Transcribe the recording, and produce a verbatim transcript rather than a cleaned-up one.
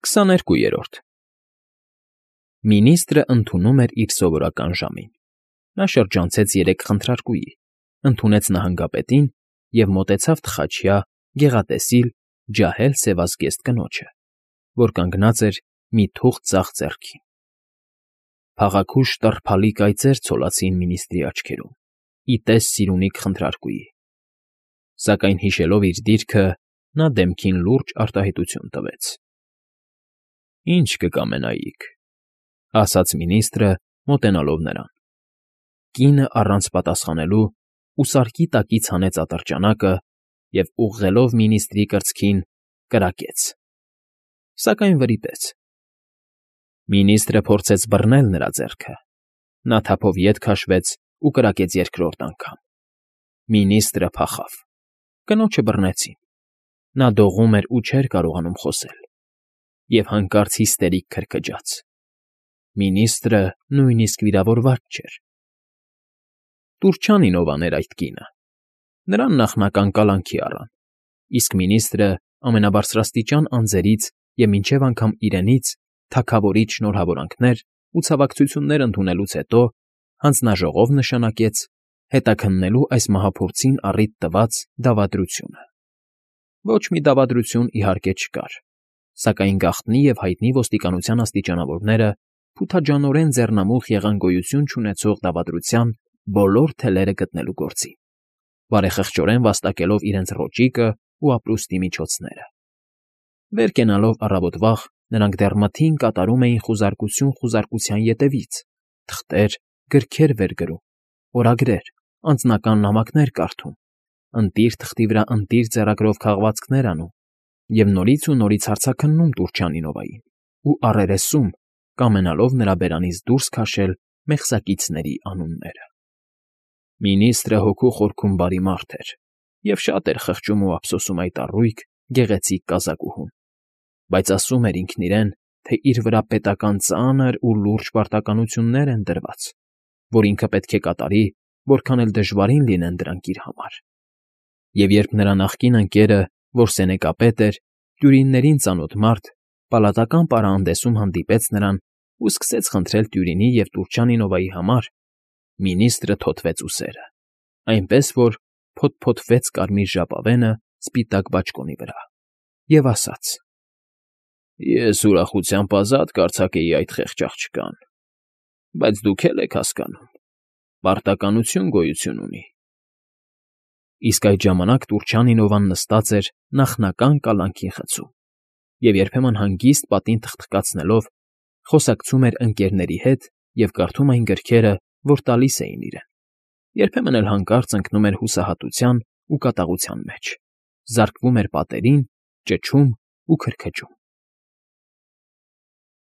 քսաներկուերորդ Մինիստրը ընդունում էր իր սովորական ժամին. նա շրջանցեց երեք խնդրարկուի, ընդունեց նահանգապետին և մոտեցավ թխաչյա, գեղատեսիլ, ջահել սևազգեստ կնոջը, որ կանգնած էր մի թուղթ ձախ ձեռքին. փաղաքուշ տռփալի կայծեր ցոլացին մինիստրի աչքերում, ի տես սիրունիկ խնդրարկուի, սակայն հիշելով իր դիրքը, նա դեմքին լուրջ արտահայտություն տվեց. ֊ Ի՞նչ կկամենայիք,֊ ասաց մինիստրը, մոտենալով նրան. կինը առանց պատասխանելու ուսարկի տակից հանեց ատրճանակը և, ուղղելով մինիստրի կրծքին, կրակեց, սակայն վրիպեց. մինիստրը փորձեց բռնել նրա ձեռքը, նա թափով ետ քաշվեց ու կրակեց երկրորդ անգամ. մինիստրը փախավ, կնոջը բռնեցին, նա դողում էր ու չէր կարողանում խոսել, և հանկարծ հիստերիկ քրքջաց. մինիստրը նույնիսկ վիրավորված չէր։ Տուրջանինովան էր այդ կինը, նրան նախնական կալանքի առան, իսկ մինիստրը ամենաբարձրաստիճան անձերից և մինչև անգամ իրենից թագավորից շնորհավորանքներ ու ցավակցություններ ընդունելուց հետո հանձնաժողով նշանակեց հետաքննելու այս մահափորձին առիթ տված դավադրությունը. ոչ մի դավադրություն, իհարկե, չկար, սակայն գաղտնի և հայտնի ոստիկանության աստիճանավորները փութաջանորեն ձեռնամուխ եղան գոյություն չունեցող դավադրության բոլոր թելերը գտնելու գործին, բարեխղճորեն վաստակելով իրենց ռոճիկն ու ապրուստի միջոցները։ Վեր կենալով առավոտ վաղ, նրանք դեռ մթին կատարում էին խուզարկություն խուզարկության ետևից, թղթեր, գրքեր վեր գրում, օրագրեր, անձնական նամակներ կարդում, ընտիր թղթի վրա ընտիր ձեռագրով քաղվածքներ անում և նորից ու նորից հարցաքննում Տուրջանինովային ու առերեսում, կամենալով նրա բերանից դուրս քաշել մեղսակիցների անունները։ Մինիստրը հոգու խորքում բարի մարդ էր և շատ էր խղճում ու ափսոսում այդ առույգ, գեղեցիկ կազակուհուն, բայց ասում էր ինքն իրեն, թե իր վրա պետական ծանր ու լուրջ պարտականություններ են դրված, որ ինքը պետք է կատարի, որքան էլ դժվարին լինեն դրանք իր համար։ Եվ երբ նրա նախկին ընկերը, որ սենեկապետ էր, տյուրիններին ծանոթ մարդ, պալատական պարահանդեսում հանդիպեց նրան ու սկսեց խնդրել Տյուրինի և Տուրջանինովայի համար, մինիստրը թոթվեց ուսերը, այնպես որ փոթփոթվեց կարմիր ժապավենը սպիտակ բաճկոնի վրա, և ասաց. «Ես ուրախությամբ ազատ կարձակեի այդ խեղճ աղջկան, բայց դուք էլ եք հասկանում, պարտականություն գոյություն ունի»։ Իսկ այդ ժամանակ Տուրջանինովան նստած էր նախնական կալանքի խցում և երբեմն հանգիստ պատին թխթկացնելով խոսակցում էր ընկերների հետ և կարդում այն գրքերը, որ տալիս էին իրեն, երբեմն էլ հանկարծ ընկնում էր հուսահատության ու կատաղության մեջ, զարկվում էր պատերին, ճչում ու քրքջում։